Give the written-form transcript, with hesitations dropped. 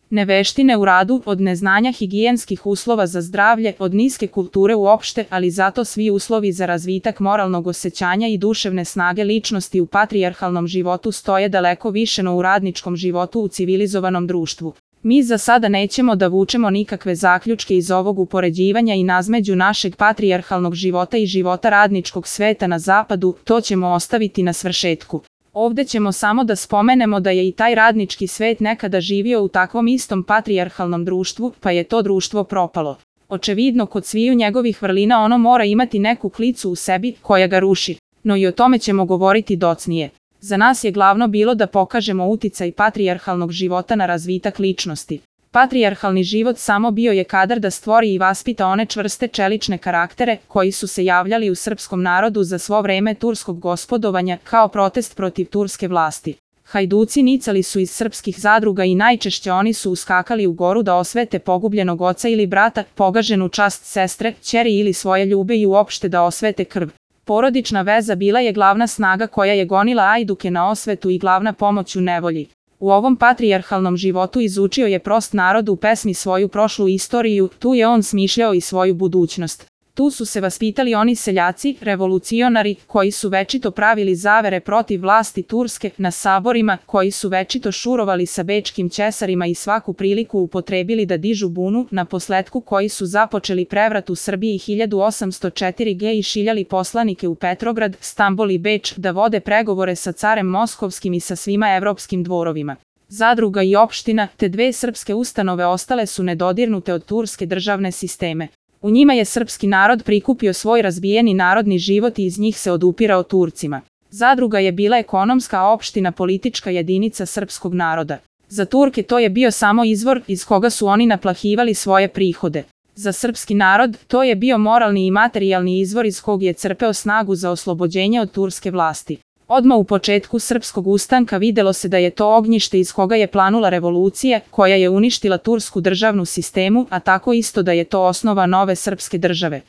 neveštine u radu, od neznanja higijenskih uslova za zdravlje, od niske kulture uopšte, ali zato svi uslovi za razvitak moralnog osjećanja i duševne snage ličnosti u patrijarhalnom životu stoje daleko više no u radničkom životu u civilizovanom društvu. Mi za sada nećemo da vučemo nikakve zaključke iz ovog upoređivanja i nazmeđu našeg patrijarhalnog života i života radničkog sveta na zapadu, to ćemo ostaviti na svršetku. Ovde ćemo samo da spomenemo da je i taj radnički svet nekada živio u takvom istom patrijarhalnom društvu, pa je to društvo propalo. Očevidno kod sviju njegovih vrlina ono mora imati neku klicu u sebi koja ga ruši, no i o tome ćemo govoriti docnije. Za nas je glavno bilo da pokažemo uticaj patrijarhalnog života na razvitak ličnosti. Patrijarhalni život samo bio je kadar da stvori i vaspita one čvrste čelične karaktere koji su se javljali u srpskom narodu za svo vreme turskog gospodovanja kao protest protiv turske vlasti. Hajduci nicali su iz srpskih zadruga i najčešće oni su uskakali u goru da osvete pogubljenog oca ili brata, pogaženu čast sestre, ćeri ili svoje ljube i uopšte da osvete krv. Porodična veza bila je glavna snaga koja je gonila ajduke na osvetu i glavna pomoć u nevolji. U ovom patrijarhalnom životu izučio je prost narod u pesmi svoju prošlu istoriju, tu je on smišljao i svoju budućnost. Tu su se vaspitali oni seljaci, revolucionari, koji su večito pravili zavere protiv vlasti Turske, na saborima, koji su večito šurovali sa bečkim ćesarima i svaku priliku upotrebili da dižu bunu, na posletku koji su započeli prevrat u Srbiji 1804. i šiljali poslanike u Petrograd, Stambol i Beč da vode pregovore sa carem Moskovskim i sa svima evropskim dvorovima. Zadruga i opština, te dve srpske ustanove ostale su nedodirnute od turske državne sisteme. U njima je srpski narod prikupio svoj razbijeni narodni život i iz njih se odupirao Turcima. Zadruga je bila ekonomska, a opština politička jedinica srpskog naroda. Za Turke to je bio samo izvor iz koga su oni naplahivali svoje prihode. Za srpski narod to je bio moralni i materijalni izvor iz kog je crpeo snagu za oslobođenje od turske vlasti. Odmah u početku srpskog ustanka videlo se da je to ognjište iz koga je planula revolucija, koja je uništila tursku državnu sistemu, a tako isto da je to osnova nove srpske države.